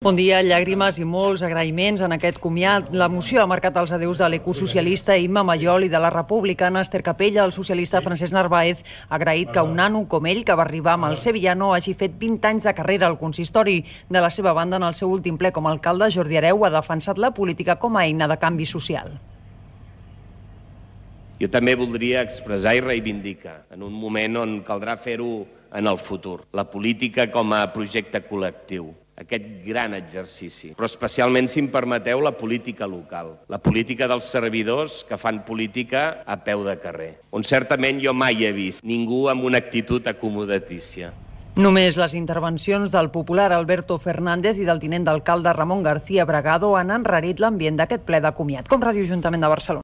Bon dia, llàgrimes i molts agraïments en aquest comiat. La moció ha marcat els adeus de l'ecosocialista Imma Mayol i de la republicana Esther Capella. El socialista Francesc Narváez ha agraït que un nano com ell, que va arribar amb el Sevillano, hagi fet 20 anys de carrera al consistori. De la seva banda, en el seu últim ple com a alcalde, Jordi Hereu ha defensat la política com a eina de canvi social. Jo també voldria expressar i reivindicar, en un moment on caldrà fer-ho en el futur, la política com a projecte col·lectiu, aquest gran exercici, però especialment, si em permeteu, la política local, la política dels servidors que fan política a peu de carrer, on certament jo mai he vist ningú amb una actitud acomodatícia. Només les intervencions del popular Alberto Fernández i del tinent d'alcalde Ramon García Bragado han enrarit l'ambient d'aquest ple de comiat. Com Ràdio Ajuntament de Barcelona.